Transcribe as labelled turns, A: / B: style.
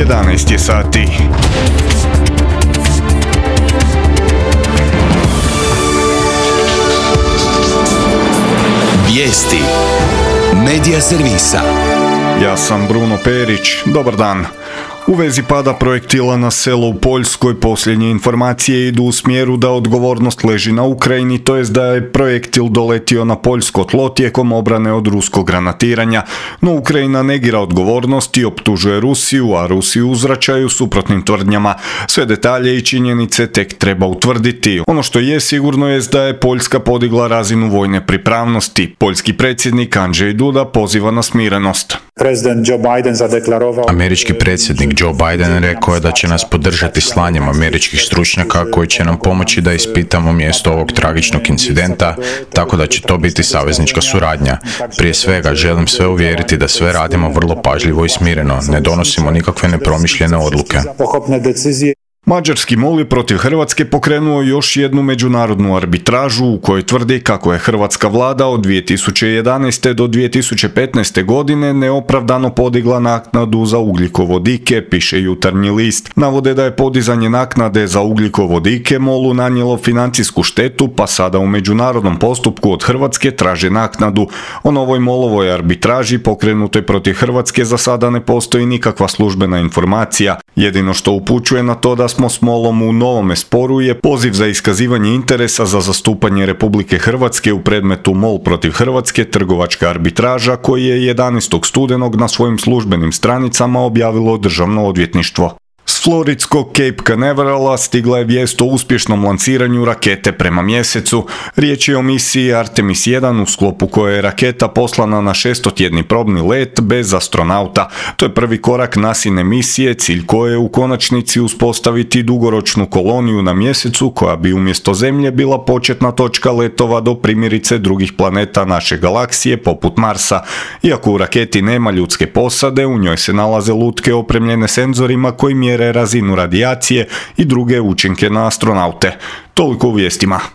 A: 11 je sati.
B: Vijesti Medija servisa.
A: Ja sam Bruno Perić, dobar dan. U vezi pada projektila na selo u Poljskoj posljednje informacije idu u smjeru da odgovornost leži na Ukrajini, to jest da je projektil doletio na poljsko tlo tijekom obrane od ruskog granatiranja, no Ukrajina negira odgovornost i optužuje Rusiju, a Rusiju uzvraćaju suprotnim tvrdnjama. Sve detalje i činjenice tek treba utvrditi. Ono što je sigurno jest da je Poljska podigla razinu vojne pripravnosti. Poljski predsjednik Andrzej Duda poziva na smirenost.
C: Američki predsjednik Joe Biden rekao je da će nas podržati slanjem američkih stručnjaka koji će nam pomoći da ispitamo mjesto ovog tragičnog incidenta, tako da će to biti saveznička suradnja. Prije svega želim sve uvjeriti da sve radimo vrlo pažljivo i smireno, ne donosimo nikakve nepromišljene odluke.
A: Mađarski MOL je protiv Hrvatske pokrenuo još jednu međunarodnu arbitražu u kojoj tvrdi kako je hrvatska vlada od 2011. do 2015. godine neopravdano podigla naknadu za ugljikovodike, piše Jutarnji list. Navode da je podizanje naknade za ugljikovodike MOL-u nanijelo financijsku štetu, pa sada u međunarodnom postupku od Hrvatske traže naknadu. O novoj MOL-ovoj arbitraži pokrenutoj protiv Hrvatske za sada ne postoji nikakva službena informacija. Jedino što upućuje na to da smo s MOL-om u novome sporu je poziv za iskazivanje interesa za zastupanje Republike Hrvatske u predmetu MOL protiv Hrvatske, trgovačka arbitraža, koji je 11. studenog na svojim službenim stranicama objavilo Državno odvjetništvo. S floridskog Cape Canaverala stigla je vijest o uspješnom lanciranju rakete prema mjesecu. Riječ je o misiji Artemis 1 u sklopu koje je raketa poslana na 600-tjedni probni let bez astronauta. To je prvi korak NASA-ine misije, cilj koje je u konačnici uspostaviti dugoročnu koloniju na mjesecu koja bi umjesto Zemlje bila početna točka letova do primjerice drugih planeta naše galaksije poput Marsa. Iako u raketi nema ljudske posade, u njoj se nalaze lutke opremljene senzorima koji mjere razinu radijacije i druge učinke na astronaute. Toliko u vijestima.